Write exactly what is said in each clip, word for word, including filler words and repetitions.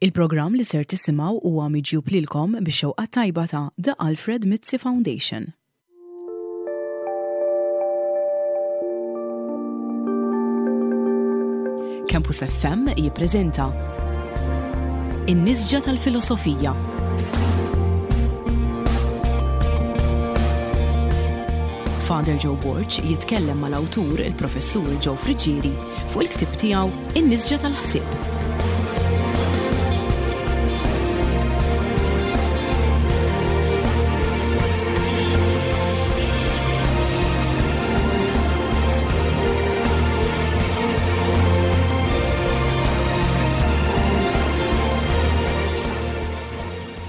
Il-programm li ser tisimgħu huwa miġjub lilkom bix-xewqa tajba ta' The Alfred Mizzi Foundation. Campus F M jippreżenta In-Nisġa tal-Filosofija. Father Joe Borg jitkellem mal-awtur, il-Professur Joe Friggieri, fuq il-ktieb tiegħu In-Nisġa tal-Ħsieb.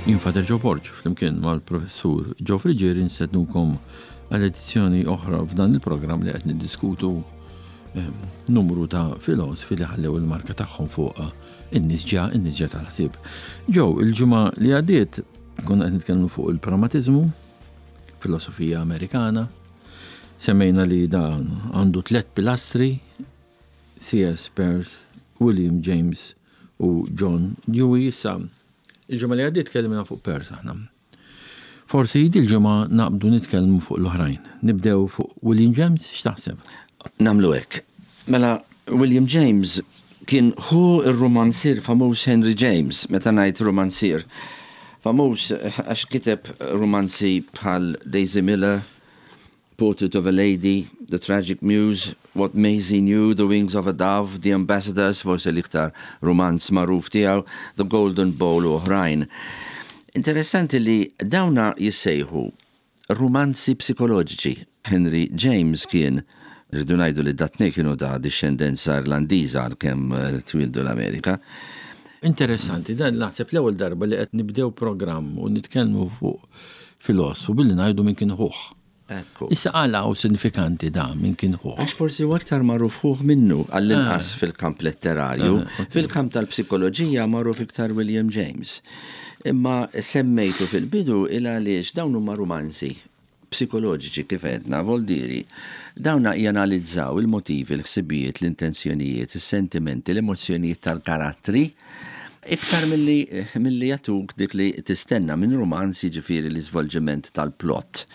Jien Father Joe Borg, flimkien mal-Professur Joe Friggieri, nistednukom għal edizzjoni oħra f'dan il-programm li qed niddiskutu ehm, numru ta' filosofi li ħallew il-marka tagħhom fuq in-nisġa, in-nisġa tal-ħsieb. Joe, il-ġimgħa li għaddiet konna qed nitkellmu fuq il-pragmatiżmu, filosofija Amerikana. Semmejna li dan għandu tliet pilastri: C S. Peirce, William James u John Dewey. Issa, il-ġimgħa li għaddiet tkellimna fuq Peirce aħna. Forsi dil-ġimgħa naqbdu nitkellmu fuq l-oħrajn. Nibdew fuq William James, x'taħseb? Nagħmlu hekk. Mela, William James kien ħu il-romanzier famuż Henry James. Meta ngħid romanzier famuż, għax kiteb romanzi bħal Daisy Miller, Portrait of a Lady, The Tragic Muse, What Maisie Knew, The Wings of a Dove, The Ambassadors, forse l-iktar romanz magħruf tiegħu, The Golden Bowl u oħrajn. Interessanti li dawna jissejħu romanzi psikoloġiċi. Henry James kien, rridu ngħidu li dat-tnejn kienu ta' discendenza Irlandiża għalkemm eh, twildu l-Amerika. Interessanti, dan naħseb l-ewwel darba li qed nibdew programm u nitkellmu fuq filosofu billi ngħidu min kien ħuh. Ekku. Issa, għala hu sinifikanti da min kien ħuh? Għax forsi u aktar magħruf ħuh minnu, għall-inqas fil-kamp letterarju. Ah, ok. Fil-kamp tal-psikoloġija magħruf iktar William James. Imma semmejtu fil-bidu il għaliex dawn huma romanzi psikoloġiċi, kif għedna, voldiri. Dawna janalizzaw il-motivi, l-ħsibijiet, l-intenzjonijiet, is-sentimenti, l-emozzjonijiet tal-karattri, iktar milli milli jagħtuk dik li tistenna minn romanz, jiġifieri l-iżvolġiment tal-plot,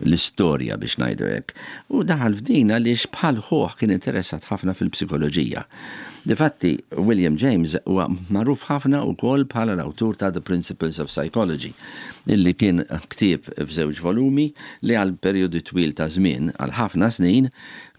l-istorja, biex ngħidu hekk. U daħal f'din għaliex bħal ħuh kien interessat ħafna fil-psikoloġija. Difatti, William James huwa magħruf ħafna wkoll bħala l-awtur ta' The Principles of Psychology, illi kien ktieb f'żewġ volumi li għal perjodu twil ta' żmien, għal ħafna snin,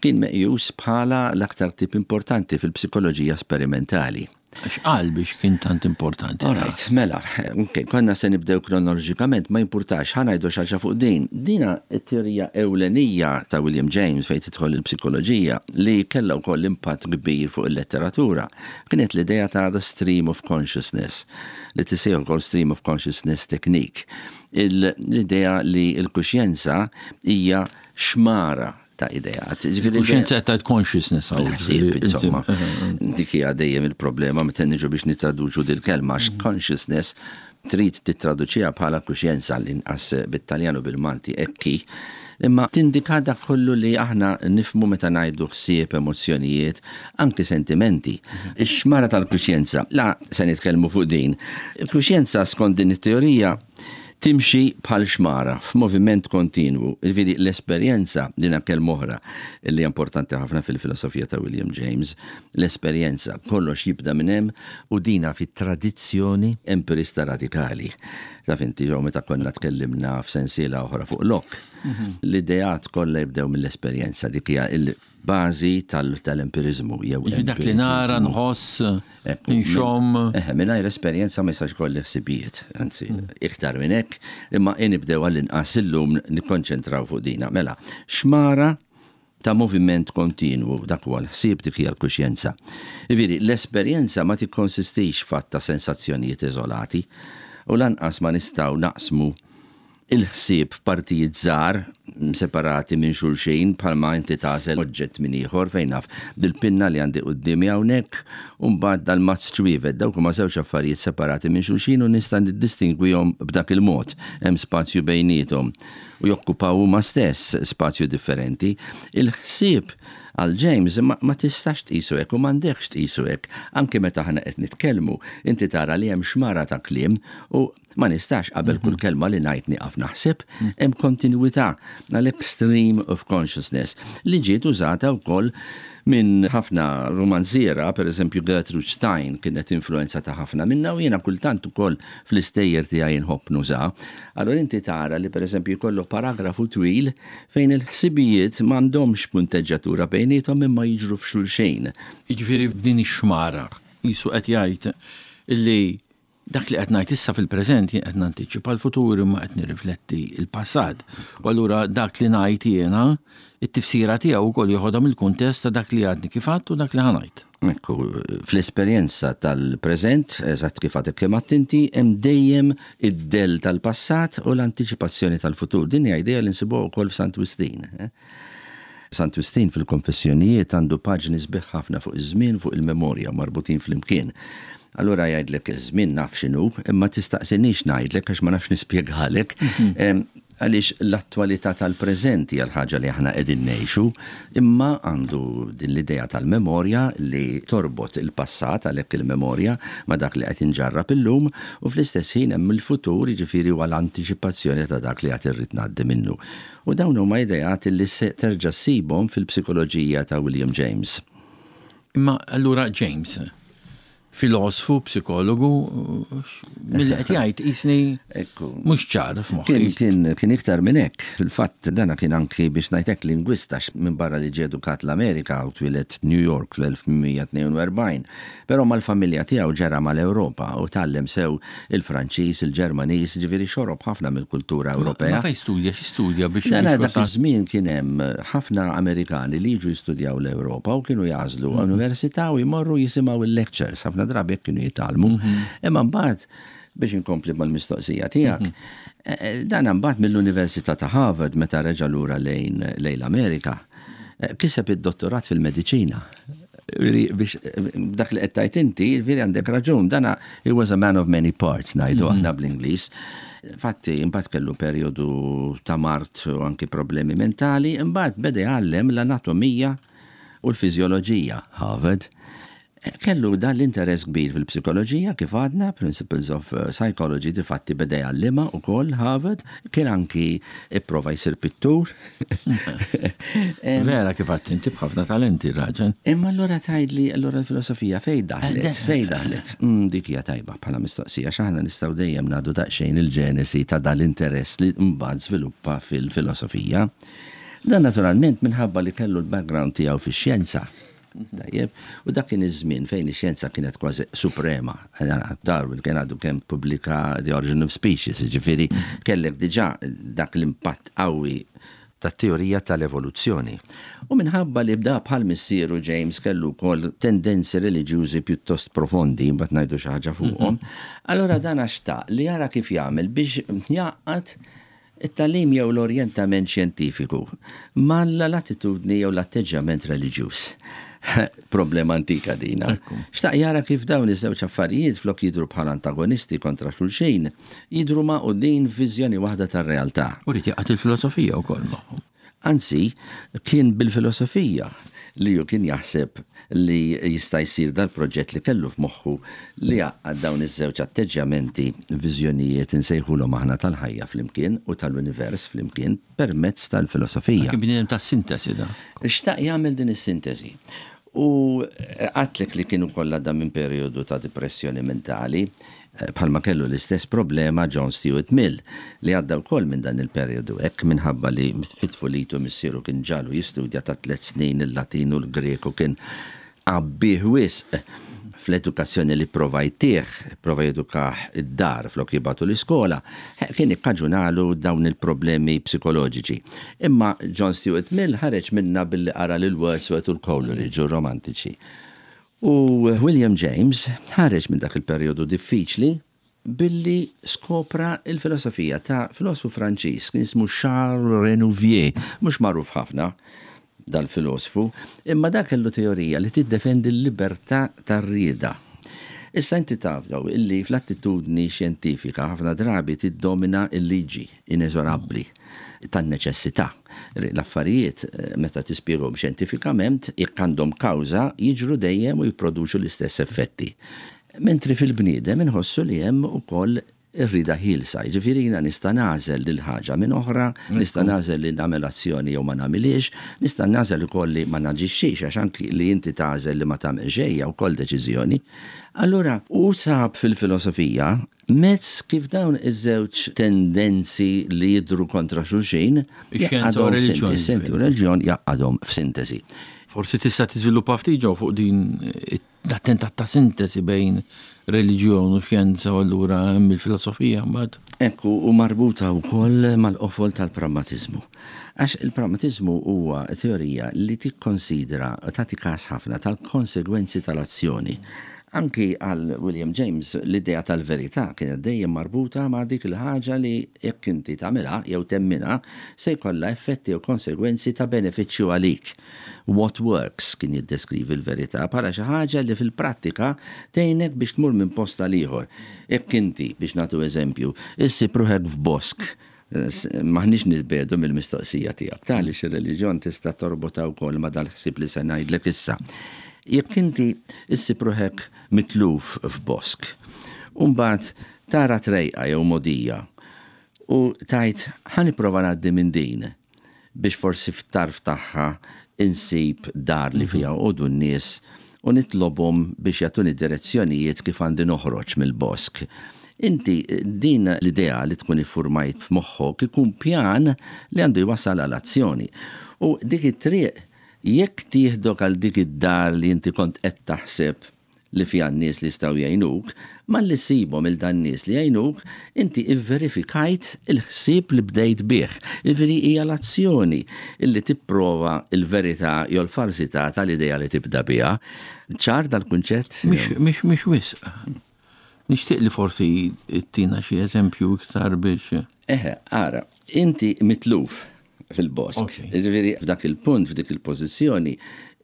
kien meqjus bħala l-aktar ktieb importanti fil-psikoloġija sperimentali. X'qal biex kien tant importanti? All right, mela, ok, konna se nibdew kronoloġikament, ma jimpurtax, ħa ngħidu xi ħaġa fuq din. Dina it-teorija ewlenija ta' William James fejn tidħol il-psikoloġija li kellha wkoll impatt kbir fuq il-letteratura. Kienet l-idea ta' the stream of consciousness, li tissejjaħ ukoll stream of consciousness technique. Il- L-idea li l-kuxjenza hija xmara ta' ideat. Ġifieri Kuxjenza ta' consciousness hawn. L-ħsieb, insomma. Dik hija dejjem il-problema meta niġu biex nitraduċu dil-kelma, għax consciousness trid titraduċiha bħala kuxjenza, l-inqas bit-Taljan u bil-Malti ekki. Imma tindika dak kollu li aħna nifhmu meta ngħidu ħsieb, emozzjonijiet, anki sentimenti. Ix-xmara tal-kuxjenza, la se nitkellmu fuq din. Il-kuxjenza, skont din it-teorija, timxi bħal xmara f'moviment kontinwu. Ġifieri l-esperjenza, din kelma oħra li importanti ħafna fil-filosofija ta' William James, l-esperjenza, kollox jibda minn hemm, u dina fit-tradizzjoni empirista radikali. Taf inti, ġew, meta konna tkellimna f'sensiela oħra fuq Locke. L-ideat kollha jibdew mill-esperjenza, dik hija il-bażi tal-empirizmu jew Ġifieri dak li nara, empiriċiżmu. nħoss, Ekku, nxomm. Eħe, mingħajr esperjenza ma jistax kolli ħsibijiet, anzi, iktar minn hekk, imma nibdew għall-inqas illum nikkonċentraw fuq dina. Mela, xmara ta' moviment kontinwu, dak huwa l-ħsieb, dik hija l-kuxjenza. Ġifieri, l-esperjenza ma tikkonsistix f'għadd ta' sensazzjonijiet iżolati u lanqas ma nistgħu naqsmu il-ħsieb f'partijiet żgħar separati minn xulxin, bħalma inti tagħżel oġġett minn ieħor, fejn naf, dil-pinna li għandi quddiemi hawnhekk u mbagħad dal-mazz ċwievet, dawk huma żewġ affarijiet separati minn xulxin u nista' niddistingwihom b'dak il-mod, hemm spazju bejniethom u jokkupaw huma stess spazju differenti. Il-ħsieb Għal James ma, ma tistax tqisu hekk u m'għandekx tqisu hekk. Anke meta aħna qed nitkellmu, inti tara li hemm xmara ta' kliem u ma nistax qabel kull kelma li ngħid nieqaf naħseb, hemm kontinwità, għalhekk stream of consciousness li ġiet użata wkoll minn ħafna romanziera, per eżempju Gertrude Stein kienet influenza ta' ħafna minna u jiena kultant ukoll fl-istejjer tiegħi nħobb nuża. Allora inti tara li per eżempju jkollok paragrafu twil fejn il-ħsibijiet m'għandhomx punteġġatura bejniethom imma jiġru f'xulxejn. Jiġifieri f'din ix-xmara qisu qed jgħid illi dak li qed ngħid issa fil-preżent jien qed nantiċipa l-futur imma qed nirrifletti l-passat. U allura dak li ngħid jiena, it-tifsira tiegħu wkoll joħodha mill-kuntest ta' dak li għadni kif għedt u dak li ħa ngħid. Ekku, fl-esperjenza tal-preżent, eżatt kif għadek kemm għedt inti, hemm dejjem id-del tal-passat u l-antiċipazzjoni tal-futur. Din hija idea li nsibuha wkoll f'Sant Wistin. Eh? Sant Wistin fil-konfessjonijiet għandu paġni sbieħ ħafna fuq iż-żmien, fuq il-memorja marbutin flimkien. Allura jgħidlek iż-żmien naf x'inhu, imma tistaqsinix ngħidlek għax ma nafx nispjegalek. Em, Għaliex l-attualità tal-preżenti hija l-ħaġa li aħna qegħdin ngħixu, imma għandu din l-idea tal-memorja li torbot il-passat, għalhekk il-memorja, ma dak li qed inġarrab illum, u fl-istess ħin hemm il-futur, jiġifieri huwa l-antiċipazzjoni ta' dak li qed irrid ngħaddi minnu. U dawn huma ideat li se terġa' ssibhom fil-psikoloġija ta' William James. Imma allura James, filosfu, psikologu, mill qed jgħid jisni Ekku. mhux ċar Kien, f'moħħi. kien, kien iktar minn hekk. Fil-fatt dana kien anki biex ngħidlek lingwista minn barra li ġie edukat l-Amerika u twieled New York fl-elf tmien mija tnejn u erbgħin. Però mal-familja tiegħu ġera mal-Ewropa u tgħallem sew il-Franċiż, il-Ġermaniż, ġifieri xorob ħafna mill-kultura Ewropea. Ma fejn studja, xi studja biex Dana biex dak wasal? iż-żmien kien hemm ħafna Amerikani li jiġu jistudjaw l-Ewropa u kienu jagħżlu università u jmorru jisimgħu il-lectures, ħafna drabi hekk kienu jitgħallmu. Imma mbagħad, biex inkompli mal-mistoqsija tiegħek, eh, dan mbagħad mill-Università ta' Harvard, meta reġa' lura lejn lejn l-Amerika, eh, kiseb id-dottorat fil-mediċina. Veri, biex dak li qed tgħid inti, veri għandek raġun, dana he was a man of many parts, ngħidu aħna bl-Ingliż. Fatti, imbagħad kellu perjodu ta' mard u anki problemi mentali, imbagħad beda jgħallem l-anatomija u l-fiżjoloġija Harvard. Kellu dan l-interess kbir fil-psikoloġija, kif għadna, Principles of uh, Psychology, difatti beda jgħallima u koll Harvard, kien anki ipprova jsir pittur. Vera, kif għedt inti, b'ħafna talenti raġel. Imma allura tgħidli, allura l-filosofija fej daħlet, Eh, fej daħlet? Mm, dik hija tajba bħala mistoqsija, x'aħna nistgħu dejjem ngħadu daqsxejn il-ġenesi ta' dal-interess li mbagħad żviluppa fil-filosofija. Dan naturalment minħabba li kellu l-background tiegħu fix-xjenza. Tajjeb, u dak kien iż-żmien fejn ix-xjenza kienet kważi suprema. Darwin kien għadu kemm pubblika The Origin of Species, ġifieri kellek diġà dak l-impatt qawwi tat-teorija tal-evoluzzjoni. U minħabba li bda bħal missieru, James kellu wkoll tendenzi reliġjużi pjuttost profondi, mbagħad ngħidu xi ħaġa fuqhom, allora dan xtaq li jara kif jagħmel biex jgħaqqad it-tagħlim jew l-orjentament xjentifiku mal-attitudni jew l-atteġġjament reliġjuż. Problema antika dina. Ekku. Xtaq jara kif dawn iż-żewġ affarijiet, flok jidru bħala antagonisti kontra xulxin, jidru magħqudin f'viżjoni waħda tar-realtà. U ried jgħaqqad il-filosofija wkoll magħhom. Anzi, kien bil-filosofija li ju kien jaħseb li jista' jsir dal-proġett li kellu f'moħħu li jgħaqqad dawn iż-żewġ atteġġjamenti, viżjonijiet insejħulhom aħna, tal-ħajja flimkien u tal-univers flimkien permezz tal-filosofija. Kien bniedem ta' sintesi da. Xtaq jagħmel din is-sintesi. U għedtlek li kienu kollha da minn periodu ta' depressjoni mentali, eh, bħalma kellu l-istess problema John Stuart Mill, li għadda wkoll minn dan il-periodu hekk minħabba li fit-tfulitu missieru kien ġagħlu jistudja ta' tliet snin il-Latin u l-Greku, kien għabbih wisq fl-edukazzjoni li prova jtih, prova jedukah id-dar flok jibagħtu l-iskola, kien ikkaġunalu dawn il-problemi psikoloġiċi. Imma John Stuart Mill ħareġ minna billi qara lil Wordsworth u l-Coleridge u romantiċi. U William James ħareġ minn dak il-perjodu diffiċli billi skopra il-filosofija ta' filosofu Franċiż kien ismu Charles Renouvier, mhux magħruf ħafna dal-filosfu, imma dak kellu teorija li tiddefendi l-libertà tar-rieda. Issa inti taf jew illi fl-attitudni xjentifika ħafna drabi tiddomina il-liġi ineżorabbli tan-neċessità. L-affarijiet eh, meta tispjegahom xjentifikament jekk għandhom kawża jiġru dejjem u jipproduċu l-istess effetti. Mentri fil-bniedem inħossu li hemm ukoll ir-rida ħielsa, jiġifieri jiena nista' nagħżel lil ħaġa minn oħra, nista' nagħżel li nagħmel azzjoni jew ma nagħmilhiex, nista' nagħżel ukoll li ma naġixxix għax anki li inti tagħżel li ma tagħmel xejn hija wkoll deċiżjoni. Allura u sab fil-filosofija mezz kif dawn iż-żewġ tendenzi li jidru kontra xulxin Ix-xjenza u jgħaqqadhom r-reliġjon, f'sintesi, ġifieri. u reliġjon jgħaqqadhom f'sintesi. Forsi tista' tiżviluppa ftit ġew fuq din l-attentat ta' sintesi bejn reliġjon u xjenza u allura hemm il-filosofija mbagħad. Ekku, u marbuta wkoll mal-qofol tal-pragmatizmu. Għax il-pragmatizmu huwa teorija li tikkonsidra u tagħti każ ħafna tal-konsegwenzi tal-azzjoni. Anki għal William James l-idea tal-verità kienet dejjem marbuta ma' dik il-ħaġa li jekk inti tagħmilha jew temminha se jkollha effetti u konsegwenzi ta' benefiċċju għalik. What works kien jiddeskrivi l-verità bħala xi ħaġa li fil-prattika tgħinek biex tmur minn post għal ieħor. Jekk inti biex nagħtu eżempju, issib ruħek f'bosk, maħniex nitbiegħdu mill-mistoqsija tiegħek. Tali xi reliġjon tista' torbota wkoll ma' dal-ħsieb li se ngħidlek issa. Jekk inti issib ruħek mitluf f'bosk, u mbagħad tara trejqa jew mogħdija u tgħid ħa nipprova ngħaddi minn din biex forsi f'tarf tagħha insib dar li fiha joqogħdu n-nies u nitlobhom biex jagħtuni direzzjonijiet kif għandi noħroġ mill-bosk. Inti din l-idea li tkun iffurmajt f'moħħok ikun pjan li għandu jwassal għal azzjoni. U dik it-triq jekk tieħdok għal dik id-dar li inti kont qed taħseb li fiha n-nies li jistgħu jgħinuk, malli ssibhom lil dan nies li jgħinuk, inti ivverifikajt il-ħsieb li bdejt bih. Jiġifieri hija l-azzjoni illi tipprova il-verità jew l-falsità tal-idea li tibda biha. Ċar dal-kunċett? Mhix mhix mhix wisq. Nixtieq li forsi ttina xi eżempju iktar biex. Eħe, ara, inti mitluf fil-bosk. Ok. Jiġifieri f'dak il-punt, f'dik il-pożizzjoni,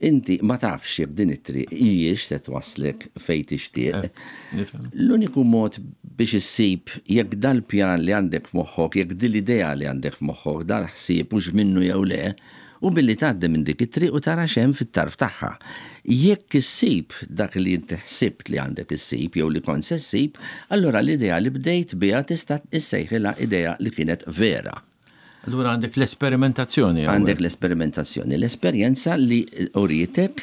inti ma tafx jekk din it-triq hijiex se twaslek fejn tixtieq. Nifhem. L-uniku mod biex issib jekk dal-pjan li għandek f'moħħok, jekk din l-idea li għandek f'moħħok, dal-ħsieb hux minnu jew le, u billi tgħaddi minn dik it-triq u tara x'hemm fit-tarf tagħha. Jekk issib dak li inti ħsibt li għandek issib jew li kont se ssib, allura l-idea li bdejt biha tista' issejħilha idea li kienet vera. Allura għandek l-esperimentazzjoni. Għandek l-esperimentazzjoni, l-esperjenza li urietek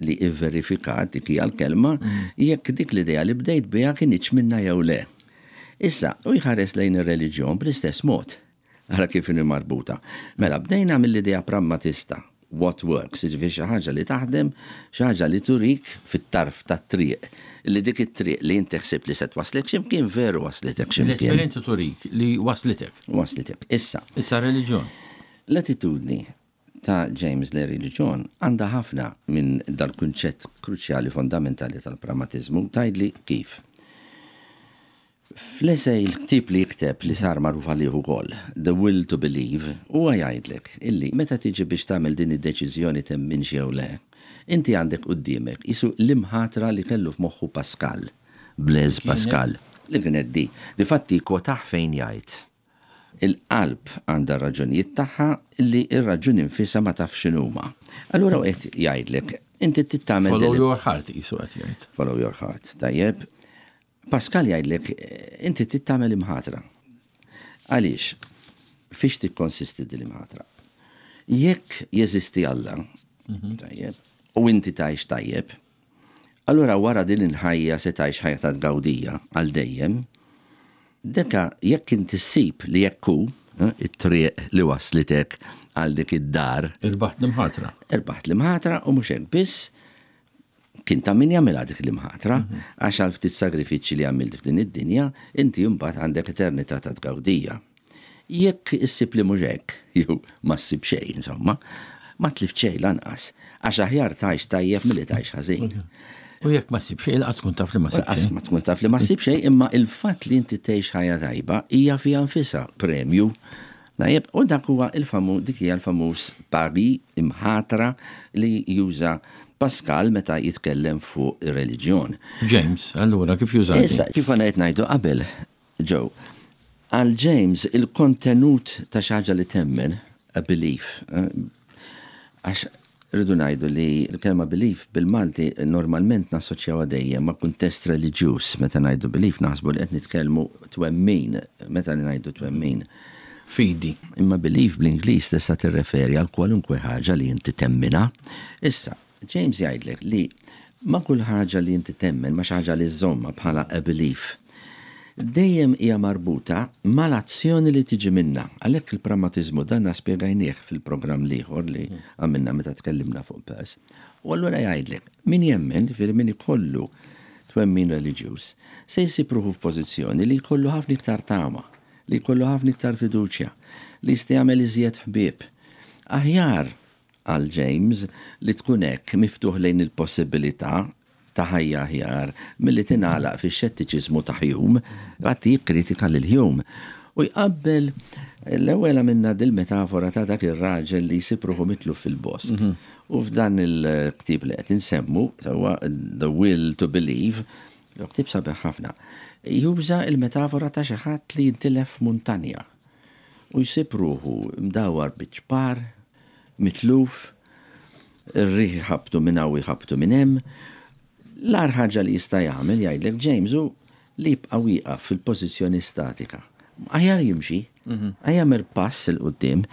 li ivverifikat dik hija l-kelma jekk dik l-idea li bdejt biha kinitx minna jew le. Issa, u jħares lejn ir-reliġjon bl-istess mod. Ara kif inhi marbuta. Mela, bdejna mill-idea pragmatista. What works, jiġifieri xi ħaġa li taħdem, xi ħaġa li turik fit-tarf tat-triq. Li dik it-triq li inti ħsibt li se twaslek x'imkien veru waslitek x'imkien. L-esperjenza turik li waslitek. Waslitek. Issa, Issa reliġjon. l-attitudni ta' James lejn reliġjon għandha ħafna minn dal-kunċett kruċjali fondamentali tal-pragmatizmu tgħidli kif. Fl-essay il-ktib li jikteb li sar magħruf għalih ukoll, The Will to Believe, huwa jgħidlek illi meta tiġi biex tagħmel din id-deċiżjoni temminx jew le, inti għandek quddiemek qisu l-imħatra li kellu f'moħħu Pascal, Blaise Pascal, li kienet di. Difatti kwotaħ fejn jgħid. Il-qalb għandha raġunijiet tagħha li ir-raġuni nfisha ma tafx x'inhuma. Allura qed jgħidlek, inti trid tagħmel Follow din- your heart qisu qed jgħid. Follow your heart. Tajjeb. Pascal jgħidlek, eh, inti trid tagħmel imħatra. Għaliex? Fiex tikkonsisti din l-imħatra? Jekk jeżisti Alla, tajjeb, u inti tgħix tajjeb, allura wara din il-ħajja se tgħix ħajja ta' tgawdija għal dejjem, deka jekk inti ssib li jekk hu, eh, it-triq li waslitek għal dik id-dar, Irbaħt l-imħatra. irbaħt l-imħatra u mhux hekk biss kien ta' min jagħmilha dik l-imħatra għax għal ftit sagrifiċċji li għamilt f'din id-dinja, inti mbagħad għandek eternità ta' tgawdija. Jekk issib li mhux hekk, jew ma ssib xejn, insomma, ma tlift xejn lanqas, għax aħjar tgħix tajjeb milli tgħix ħażin. U jekk ma ssib xejn, lanqas tkun taf li ma ssib Lanqas xejn. ma tkun taf li ma ssib xejn, imma il-fatt li inti tgħix ħajja tajba hija fiha nfisha premju. Tajjeb, u dak huwa il-famu, dik hija l-famuż pari imħatra li juża Pascal meta jitkellem fuq ir-reliġjon. James, allura kif juża? Issa, kif għana qed ngħidu qabel, Joe, għal James il-kontenut ta' xi ħaġa li temmen, a belief, għax rridu ngħidu li l-kelma belief bil-Malti normalment nassoċjawha dejjem ma' kuntest reliġjuż. Meta ngħidu belief naħsbu li qed nitkellmu twemmin, meta ngħidu twemmin. Fidi. Imma belief bl-Ingliż tista' tirreferi għal kwalunkwe ħaġa li inti temminha. Issa, James jgħidlek li ma' kull ħaġa li inti temmen, ma' xi ħaġa li żżommha bħala a belief, dejjem hija marbuta mal-azzjoni li tiġi minna. Għalhekk il-pragmatiżmu dan spjegajnieh fil-programm l-ieħor li għamilna meta tkellimna fuq Peirce. U allura jgħidlek, min jemmen, ġifieri min ikollu twemmin reliġjuż, se jsib ruħu f'pożizzjoni li jkollu ħafna iktar tama, li jkollu ħafna iktar fiduċja, li jista' jagħmel iżjed ħbieb. Aħjar għal James li tkun hekk miftuħ lejn il-possibilità ta' ħajja aħjar milli tingħalaq fix-xettiċiżmu ta' Hume, għatti jikkritika lil Hume. U jqabbel l-ewwel għamilna dil-metafora ta' dak ir-raġel li jsib ruħu mitluf fil-bosk. U f'dan il-ktieb li qed insemmu, huwa The Will to Believe, l-ktieb sabiħ ħafna, juża il-metafora ta' xi ħadd li jintilef f'muntanja u jsib ruħu mdawar biċ-ċpar, mitluf, ir-riħ ħabtu minn hawn ħabtu minn hemm. L-agħar ħaġa li jista' jagħmel, jgħidlek James, hu li jibqa' wieqaf fil-pożizzjoni statika. Aħjar jimxi, aħjar jagħmel pass 'il quddiem.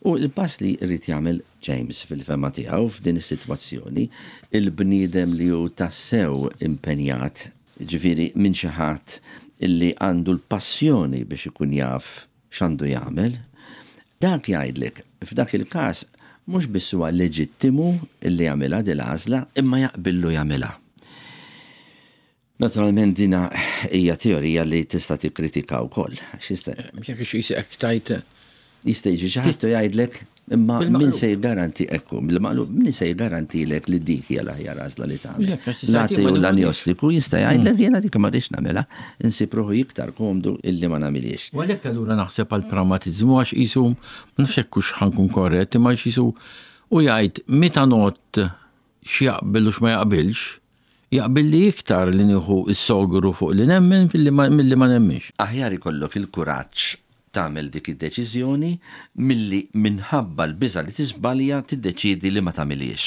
U l-pass li jrid jagħmel James fil-fehma tiegħu f'din is-sitwazzjoni, il-bniedem li hu tassew impenjat, ġifieri minn xi ħadd illi għandu l-passjoni biex ikun jaf x'għandu jagħmel, dak jgħidlek f'dak il-każ mhux biss huwa leġittimu illi jagħmilha din l-għażla, imma jaqbillu jagħmilha. Naturalment dina hija teorija li tista' tikkritika wkoll. X'jista' Jekk xi tajt jista' jiġi xi ħadd jgħidlek imma min se jgaranti ekku, bil-maqlub min se jgarantilek li dik hija l-aħjar għażla li tagħmel. L-ateu u l-anjostiku jista' jgħidlek jiena dik ma rridx nagħmilha, insib ruħu iktar komdu illi ma nagħmilhiex. U għalhekk allura naħseb għal pragmatiżmu għax qisu ma nafx hekk hux ħa nkun korrett, imma qisu u jgħid meta not x'jaqbel u x'ma jaqbilx, jaqbil li iktar li nieħu s-sogru fuq li nemmen milli ma nemminx. Aħjar ikollok il-kuraġġ tagħmel dik id-deċiżjoni milli minħabba l-biża' li tiżbalja tiddeċiedi li ma tagħmilhiex.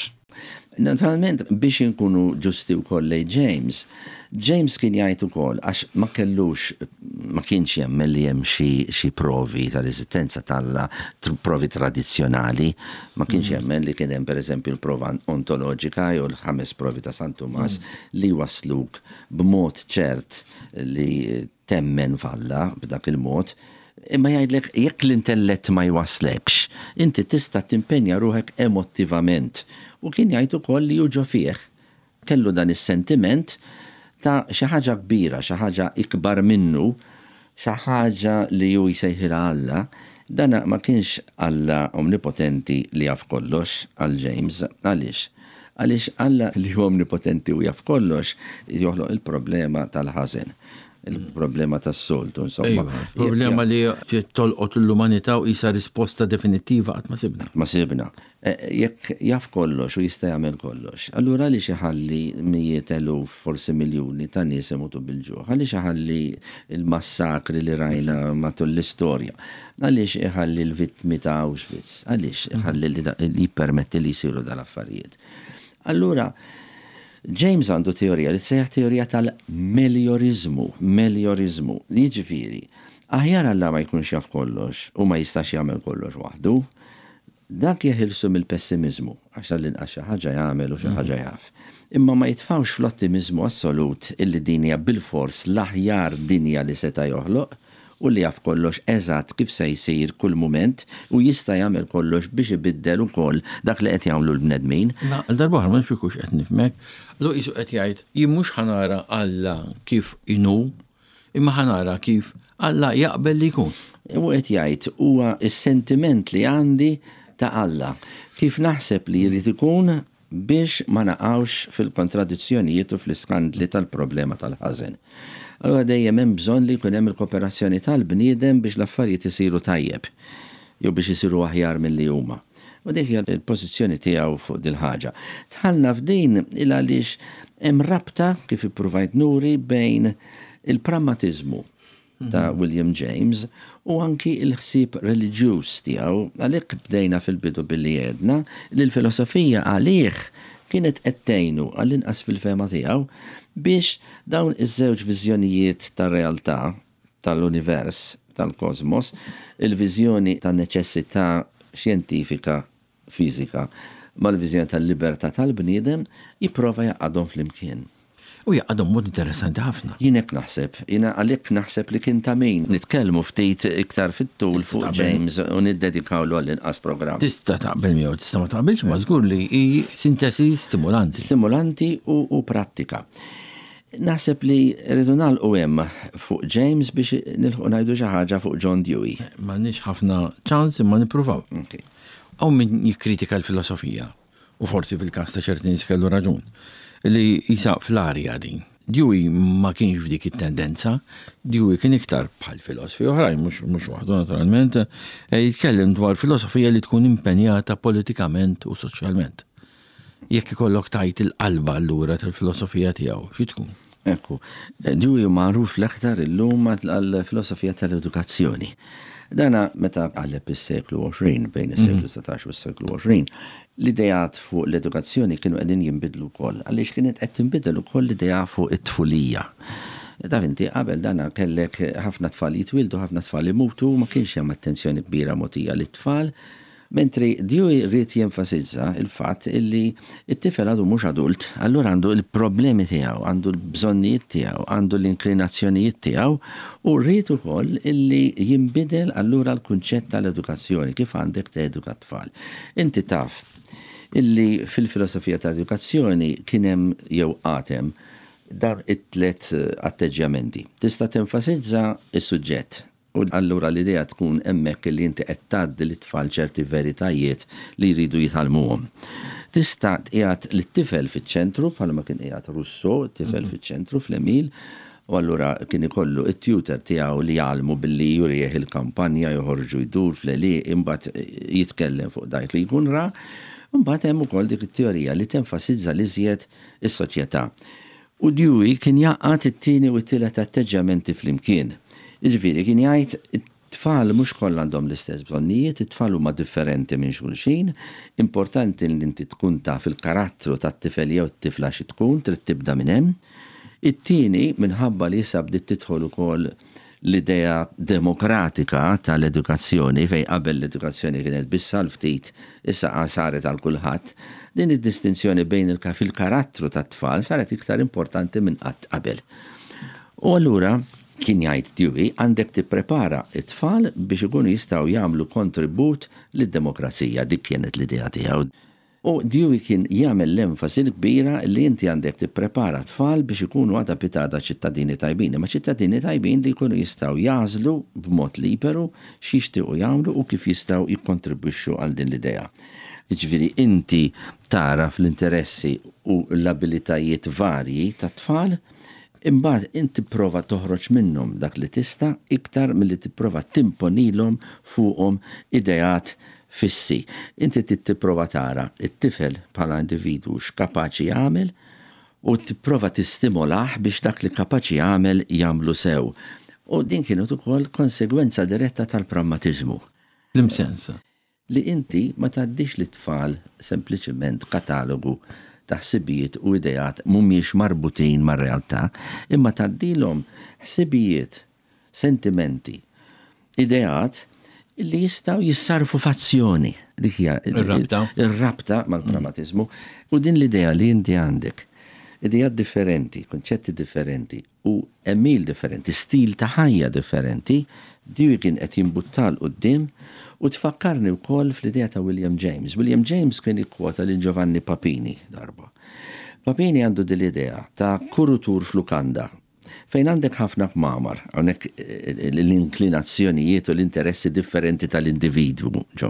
Naturalment biex inkunu ġusti wkoll lejn James, James kien jgħid ukoll għax ma kellux, ma kienx jemmen li hemm xi provi tal-eżistenza t'Alla, provi tradizzjonali, ma kienx jemmen li kien hemm pereżempju l-prova ontoloġika jew l-ħames provi ta' San Tumas li wasluk b'mod ċert li temmen f'Alla b'dak il-mod. Imma jgħidlek jekk l-intellett ma jwaslekx, inti tista' timpenja ruħek emotivament. U kien jgħid ukoll li hu ġo fih kellu dan is-sentiment ta' xi ħaġa kbira, xi ħaġa ikbar minnu, xi ħaġa li hu jsejħilha Alla. Dana ma kienx Alla omnipotenti li jaf kollox għal James. Għaliex? Għaliex Alla li hu omnipotenti u jaf kollox joħloq il-problema tal-ħażen, il-problema tas-soltu, insomma. Ejwa, problema li tolqot l-umanità u qisha risposta definittiva qatt ma sibna. Ma sibna. Jekk jaf kollox u jista' jagħmel kollox, allura għaliex iħalli mijiet eluf, forsi miljuni ta' nies imutu bil-ġuħ? Għaliex iħalli il-massakri li rajna matul l-istorja? Għaliex iħalli l-vittmi ta' Auschwitz? Għaliex iħalli li jippermetti li jsiru dal-affarijiet? Allura, James għandu teorija li tsejjaħ teorija tal-meliorizmu, meliorizmu, jiġifieri, aħjar Alla ma jkunx jaf kollox u ma jistax jagħmel kollox waħdu, dak jeħilsu mill-pessimizmu, għax għall-inqas xi ħaġa jagħmel u xi ħaġa jaf. Imma ma jitfawx fl-ottimizmu assolut illi dinja bil-fors l-aħjar dinja li seta' joħloq u li jaf kollox eżatt kif se jsir kull mument u jista' jagħmel kollox biex ibiddel ukoll dak li qed jagħmlu l-bnedmin. Na, għal darba oħra ma nafx hux qed nifhmek, allura qisu qed jgħid jien mhux ħa nara Alla kif inhu, imma ħa nara kif Alla jaqbel li jkun. U qed jgħid huwa s-sentiment li għandi ta' Alla, kif naħseb li jrid ikun biex ma naqgħux fil-kontradizzjonijiet u fl-iskandli tal-problema tal-ħażen. Allura dejjem hemm bżonn li jkun hemm il-kooperazzjoni tal-bniedem biex l-affarijiet isiru tajjeb jew biex isiru aħjar milli huma. U dik hija l-pożizzjoni tiegħu fuq dil-ħaġa. Dħalna f'din il għaliex hemm rabta, kif ippruvajt nuri, bejn il-prammatiżmu ta' William James u anki il-ħsieb reliġjuż tiegħu. Għalhekk bdejna fil-bidu billi għedna li l-filosofija għalih kienet qed tgħinu, għall-inqas fil-fehma tiegħu, biex dawn iż-żewġ viżjonijiet tar-realtà, tal-univers, tal-kosmos, il-viżjoni ta' neċessità xjentifika, fiżika, mal-viżjoni tal-libertà tal-bniedem, jipprova jgħaqqadhom flimkien. U jgħaqqadhom mod interessanti ħafna. Jien hekk naħseb, jiena għalhekk naħseb li kien ta' min nitkellmu ftit iktar fit-tul Tista' fuq taqbel. James u niddedikawlu għall-inqas programm. Tista' taqbel miegħu, tista' ma taqbilx, ma żgur li hi sintesi stimulanti. Stimulanti u, u prattika. Naħseb li rridu nagħlqu hemm fuq James biex nilħqu ngħidu xi ħaġa fuq John Dewey. M'għandniex ħafna ċans, imma nippruvaw. Okay. Hawn min jikkritika l-filosofija, u forsi fil-każ ta' ċerti nies kellu raġun, li jisa fl-arja din. Dewey ma kienx f'dik it-tendenza, Dewey kien iktar bħal filosofi oħrajn, mhux mhux waħdu naturalment, eh, jitkellem dwar filosofija li tkun impenjata politikament u soċjalment. Jekk ikollok tgħid il-qalba allura tal-filosofija tiegħu, xi tkun? Ekku, Dewey magħruf l-aktar illum għall-filosofija tal-edukazzjoni. Dana meta qalleb is-seklu għoxrin, bejn is-seklu satax u s-seklu għoxrin, l-idejat fuq l-edukazzjoni kienu qegħdin jinbidlu wkoll, għaliex kienet qed tinbidel ukoll l-idea fuq it-tfulija. Taf inti, qabel dana kellek ħafna tfal jitwildu, ħafna tfal imutu, ma kienx hemm attenzjoni kbira mogħtija lit-tfal. Mentri Dewey ried jenfasizza il-fatt illi it-tifel għadu mhux adult, allura għandu il-problemi tiegħu, għandu l-bżonnijiet tiegħu, għandu l-inklinazzjonijiet tiegħu, u rrid ukoll illi jinbidel allura l-kunċett tal-edukazzjoni, kif għandek teduka t-tfal. Inti taf illi fil-filosofija tal-edukazzjoni kien hemm jew għad hemm dar it-tlet atteġġjamenti. Tista' tenfasizza is-suġġett. U allura l-idea tkun hemmhekk li inti qed tgħaddi lit-tfal ċerti veritajiet li jridu jitgħallmuhom. Tista' tqiegħed lit-tifel fiċ-ċentru, bħalma kien qiegħed Rousseau, tifel fiċ-ċentru fl-Emil, u allura kien ikollu it-tutor tiegħu li jgħallmu billi jurih il-kampanja, joħorġu jdur fl-għelieqi, imbagħad jitkellem fuq dak li jkun ra. Imbagħad hemm ukoll dik it-teorija li tenfasizza l-iżjed is-soċjetà. U Dewey kien jgħaqqad it-tieni u t-tielet atteġġjamenti flimkien. Jiġifieri kien jgħid it-tfal mhux kollha għandhom l-istess bżonnijiet, it-tfal huma differenti minn xulxin, importanti li inti tkun taf il-karattru tat-tifel jew t-tifla xi tkun, trid tibda minn hemm. It-tieni, minħabba li issa bdiet tidħol ukoll l-idea demokratika tal-edukazzjoni, fejn qabel l-edukazzjoni kienet biss għal ftit, issa saret għal kulħadd, din id-distinzjoni bejn il- fil-karattru tat-tfal saret iktar importanti minn qatt qabel. U allura kien jgħid Dewey, għandek tipprepara it-tfal biex ikunu jistgħu jagħmlu kontribut lid-demokrazija, dik kienet l-idea tiegħu. U Dewey kien jagħmel l-enfasi kbira li inti għandek tipprepara tfal biex ikunu għada pitgħada ċittadini tajbin, imma ċittadini tajbin li jkunu jistgħu jagħżlu b'mod liberu x'jixtiequ jagħmlu u kif jistgħu jikkontribwixxu għal din l-idea. Jiġifieri inti tara fl-interessi u l-abilitajiet varji tat-tfal, imbagħad inti prova toħroġ minnhom dak li tista' iktar milli tipprova timponilhom fuqhom ideat fissi. Inti trid tipprova tara it-tifel bħala individwu x'kapaċi jagħmel u tipprova tistimolah biex dak li kapaċi jagħmel jagħmlu sew. U din kienet ukoll konsegwenza diretta tal-prammatiżmu. L-imsens. Li inti ma tgħaddix lit-tfal sempliċement katalogu ta' ħsibijiet u ideat mhumiex marbutin mar-realtà, imma tgħaddilhom ħsibijiet, sentimenti, ideat li jistgħu jissarfu f'azzjoni. Dik hija Ir-rabta. ir-rabta mal-prammatiżmu. U din l-idea li inti għandek, ideat differenti, konċetti differenti u għemil differenti, stil ta' ħajja differenti, Dewey kien qed jimbutta 'l quddiem u tfakkarni wkoll fl-idea ta' William James. William James kien ikkwota lil Giovanni Papini darba. Papini għandu din l-idea ta' kurutur f'lukanda fejn għandek ħafna kmamar, hawnhekk l-inklinazzjonijiet u l-interessi differenti tal-individwu, ġo,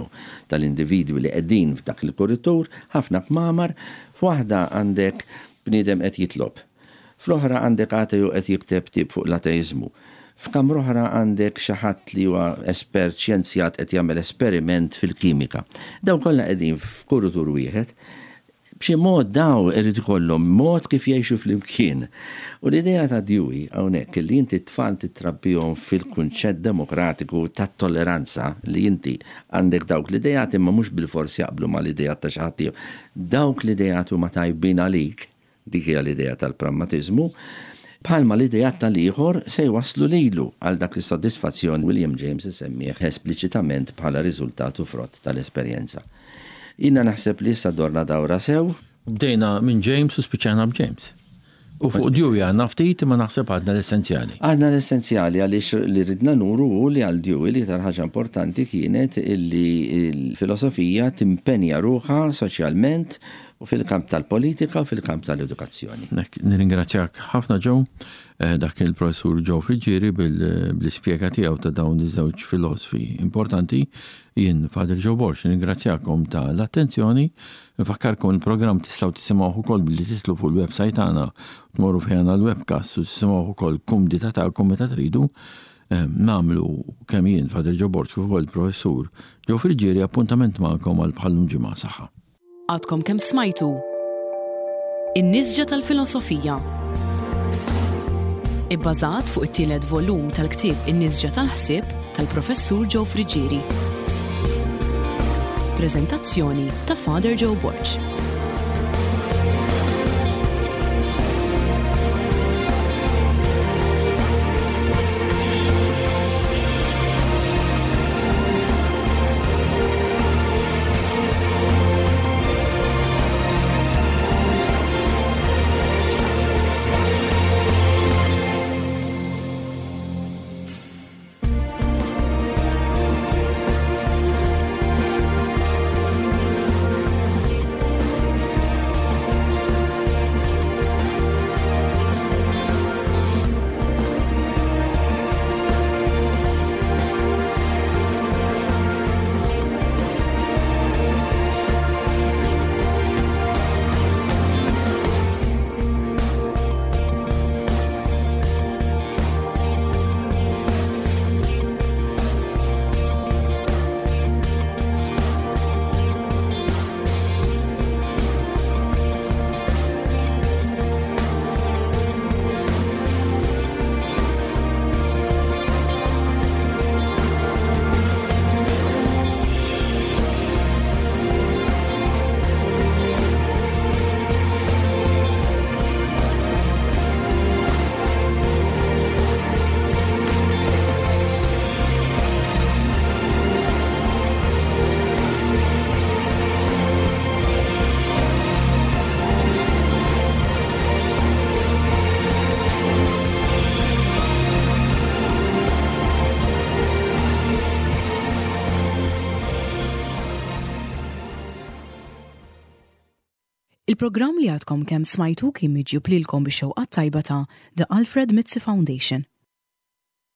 tal-individwi li qegħdin f'dak il-kuritur, ħafna kmamar, f'waħda għandek bniedem qed jitlob. Fl-oħra għandek ateju qed jikteb ktieb fuq l-ateizmu. F'kamra oħra għandek xi ħadd li huwa espert xjenzjat qed jagħmel esperiment fil-kimika. Dawn kollha qegħdin f'kurutur wieħed. B'xi mod daw irid ikollhom mod kif jgħixu flimkien. U l-idea ta' Dewey hawnhekk li inti t-tfal titrabbihom fil-kunċett demokratiku tat-tolleranza, li inti għandek dawk l-idejat imma mhux bilfors jaqblu mal-idejat ta' xi ħadd ieħor. Dawk l-idejat huma tajbin għalik, dik hija l-idea tal-pragmatiżmu, bħalma l-idejat tal-ieħor se jwaslu lilu għal dak is-sodisfazzjon William James isemmih espliċitament bħala riżultat u frott tal-esperjenza. Jiena naħseb li issa dorna dawra sew. Bdejna minn James u spiċċajna b'James. U fuq Dewey għandna ftit, imma naħseb għadna l-essenzjali. Għadna l-essenzjali, għaliex li ridna nuru hu li għal Dewey li iktar ħaġa importanti kienet illi l-filosofija timpenja ruħha soċjalment u fil-kamp tal-politika u fil-kamp tal-edukazzjoni. Nek, nirringrazzjak ħafna, Joe, eh, dak il-professur Joe Friggieri bil-ispjega tiegħu ta' dawn iż-żewġ filosofi importanti. Jien Father Joe Borg, nirringrazzjakom tal-attenzjoni. Nfakkarkom, il-programm tistgħu tisimgħuh ukoll billi titlu fuq il-website tagħna, tmorru fejn għall-webcast u tisimgħuh ukoll kumdità tagħkom meta tridu. Eh, nagħmlu kemm jien Father Joe Borg kif ukoll il-professur Joe Friggieri appuntament magħkom għal bħallum ġimgħa. Saħħa. Għadkom kemm smajtu In-Nisġa tal-Filosofija, ibbażat fuq it-tielet volum tal-ktieb In-Nisġa tal-Ħsieb tal-Professur Joe Friggieri. Prezentazzjoni ta' Father Joe Borg. Il-programm li għadkom kemm smajtu kien miġjub lilkom bix-xewqa tajba ta' The Alfred Mizzi Foundation.